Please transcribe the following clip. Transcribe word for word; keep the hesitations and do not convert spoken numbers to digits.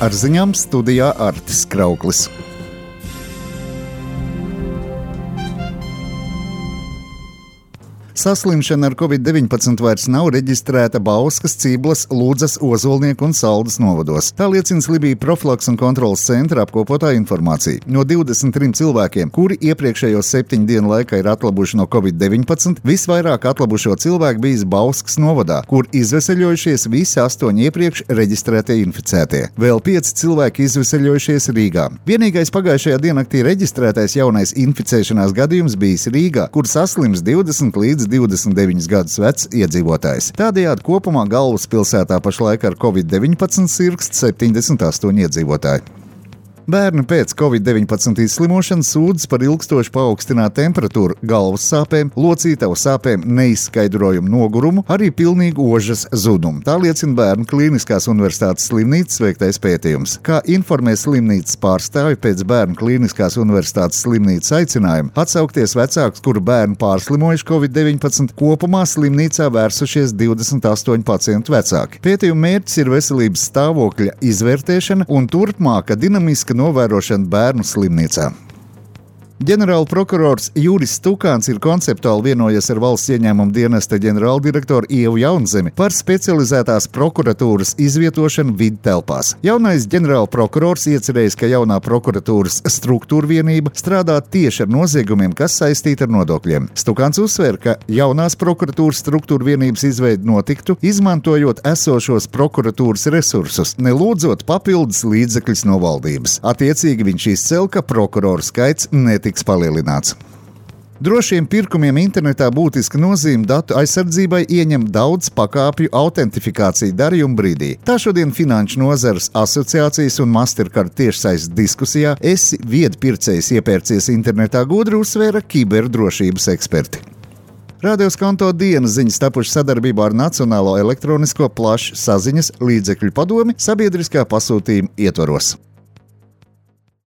Ar ziņām studijā Artis Krauklis. Saslimšana ar covid deviņpadsmit vairs nav reģistrēta Bauskas, Ciblas, Ludzas, Ozolnieku un Saldas novados. Tā liecina Slimību profilakses un kontroles centra apkopotā informācija. No divdesmit trim cilvēkiem, kuri iepriekšējo septiņu dienu laikā ir atlabuši no covid deviņpadsmit, visvairāk atlabušo cilvēku bijis Bauskas novadā, kur izveseļojušies visi astoņi iepriekš reģistrētie inficētie. Vēl pieci cilvēki izveseļojušies Rīgā. Vienīgais pagājušajā diennaktī reģistrētais jaunais inficēšanās gadījums bijis Rīgā, kur saslims divdesmit līdz divdesmit deviņus gadus vecs iedzīvotājs. Tādējādi kopumā galvaspilsētā pašlaik ar covid deviņpadsmit sirgst septiņdesmit astoņi iedzīvotāji. Bērni pēc covid deviņpadsmit izslimošanas sūdzas par ilgstoši paaugstinātu temperatūru, galvas sāpēm, locītavu sāpēm, neizskaidrojumu nogurumu, arī pilnīgu ožas zudumu. Tā liecina Bērnu Klīniskās Universitātes slimnīcas veiktais pētījums. Kā informē slimnīcas pārstāvi, pēc Bērnu Klīniskās Universitātes slimnīcas aicinājuma atsaukties vecākus, kuru bērni pārslimojuši covid deviņpadsmit, kopumā slimnīcā vērsušies divdesmit astoņi pacientu vecāki. Pētījuma mērķis ir veselības stāvokļa izvērtēšana un turpmāka dinamiska novērošana bērnu slimnīcā. Ģenerāla prokurors Juris Stukāns ir konceptuāli vienojies ar valsts ieņēmuma dienesta ģenerāldirektoru Ievu Jaunzemi par specializētās prokuratūras izvietošanu vidtelpās. Jaunais ģenerāla prokurors iecerējis, ka jaunā prokuratūras struktūra vienība strādā tieši ar noziegumiem, kas saistīti ar nodokļiem. Stukāns uzsver, ka jaunās prokuratūras struktūra vienības izveide notiktu, izmantojot esošos prokuratūras resursus, nelūdzot papildus līdzekļus no valdības. Attiecīgi viņš izcēl, ka prokuroru skaits netika tiks palielināts. Drošiem pirkumiem internetā būtiska nozīme datu aizsardzībai ieņem daudz pakāpju autentifikāciju darījuma brīdī. Tā šodien Finanšu nozares asociācijas un Mastercard tiešsaistes diskusijā Esi viedpircējs iepērcies internetā gudri uzsvēra kiberdrošības eksperti. Radio Skanto dienas ziņas tapušas sadarbībā ar Nacionālo elektronisko plašsaziņas līdzekļu padomi sabiedriskā pasūtījuma ietvaros.